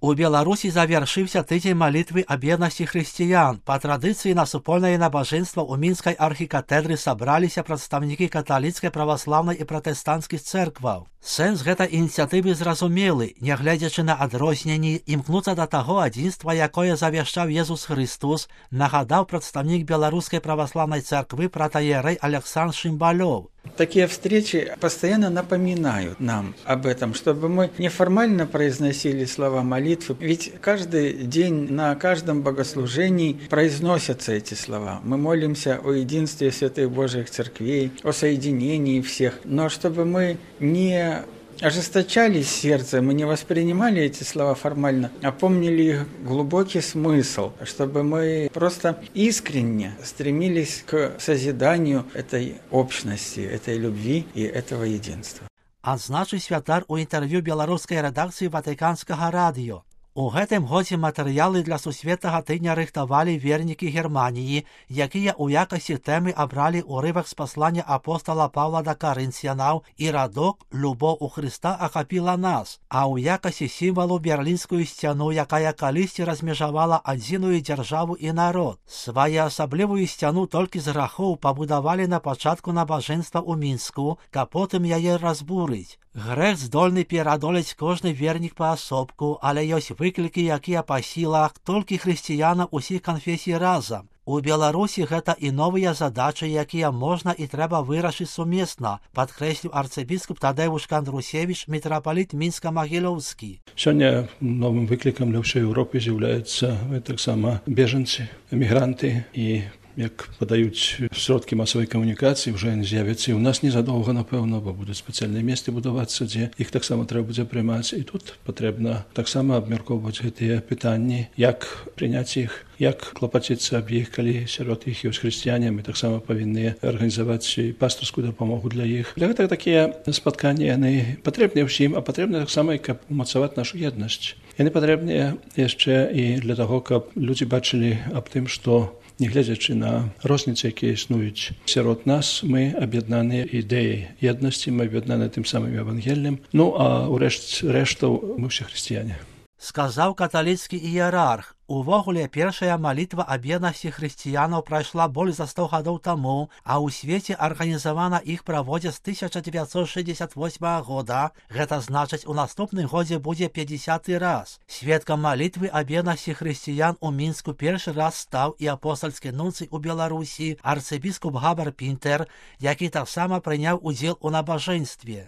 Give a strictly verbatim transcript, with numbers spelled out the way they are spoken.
У Беларусі завяршыўся тыдзень малітвы аб еднасці хрысціян. Па традыцыі на супольнае набажэнства ў мінскай архікатэдры сабраліся прадстаўнікі каталіцкай, праваслаўнай і пратэстанцкіх цэркваў. Сэнс гэтай ініцыятывы зразумелы, нягледзячы на адрозненні, імкнуцца да таго адзінства, якое завяшчаў Езус Христос, нагадаў прадстаўнік беларускай праваслаўнай царквы протоиерей Александр Шимбалёв. Такие встречи постоянно напоминают нам об этом, чтобы мы неформально произносили слова молитвы. Ведь каждый день на каждом богослужении произносятся эти слова. Мы молимся о единстве святых Божьих церквей, о соединении всех. Но чтобы мы не ожесточались сердце, мы не воспринимали эти слова формально, а помнили их глубокий смысл, чтобы мы просто искренне стремились к созиданию этой общности, этой любви и этого единства. Адзначыў святар у інтэрв'ю беларускай рэдакцыі Ватыканскага радыё. У гэтым годзе матэрыялы для сусветнага тыдня рыхтавалі вернікі Германіі, якія ў якасці тэмы абралі ўрывак з паслання апостала Паўла да карынцянаў і радок «Любоў у Хрыста ахапіла нас», а ў якасці сімвалу берлінскую сцяну, якая калісьці размежавала адзіную дзяржаву і народ. Своеасаблівую сцяну толькі з грахоў пабудавалі на пачатку набажэнства ў Мінску, каб потым яе разбурыць. Грэх здольны перадолець кожны вернік паасобку, але ёсць выклікі, якія па сілах толькі хрысціянам усіх канфесій разам. У Беларусі гэта і новыя задачы, якія можна і трэба вырашыць сумесна, падкрэсліў арцыбіскуп Тадэвуш Кандрусевіч, мітрапаліт Мінска-Магілёўскі. Сёння новым выклікам для ўсёй Еўропы з'яўляюцца таксама бежанцы, эмігранты і як падаюць сродкі масавай камунікацыі, ўжо яны з'явяцца і ў нас незадоўга, напэўна, бо будуць спецыяльныя месцы будавацца, дзе іх таксама трэба будзе прымаць. І тут патрэбна таксама абмяркоўваць гэтыя пытанні, як прыняць іх, як клапаціцца аб іх, калі сярод іх ёсць хрысціяне, мы таксама павінны арганізаваць пастырскую дапамогу для іх. Для гэтага такія спатканні, яны патрэбныя ўсім, а патрэбна таксама і каб умацаваць нашу еднасць. Яны патрэбныя яшчэ і для таго, каб людзі бачылі аб тым, што нягледзячы на розніцы, якія існуюць сярод нас, мы аб'яднаныя ідэяй еднасці, мы аб'яднаныя тым самым евангеллем. Ну, а ўрэшт рэштаў мы ўсе хрысціяне. Сказаў каталіцкі іерарх. Увогуле, першая малітва аб еднасці хрысціянаў прайшла больш за сто гадоў таму, а ў свеце арганізавана іх праводзяць з тысяча дзевяцьсот шэсцьдзесят восьмага года. Гэта значыць, у наступным годзе будзе пяцьдзясяты раз. Сведкам малітвы аб еднасці хрысціян у Мінску першы раз стаў і апостальскі нунцый у Беларусі арцыбіскуп Габар Пінтер, які таксама прыняў удзел у набажэнстве.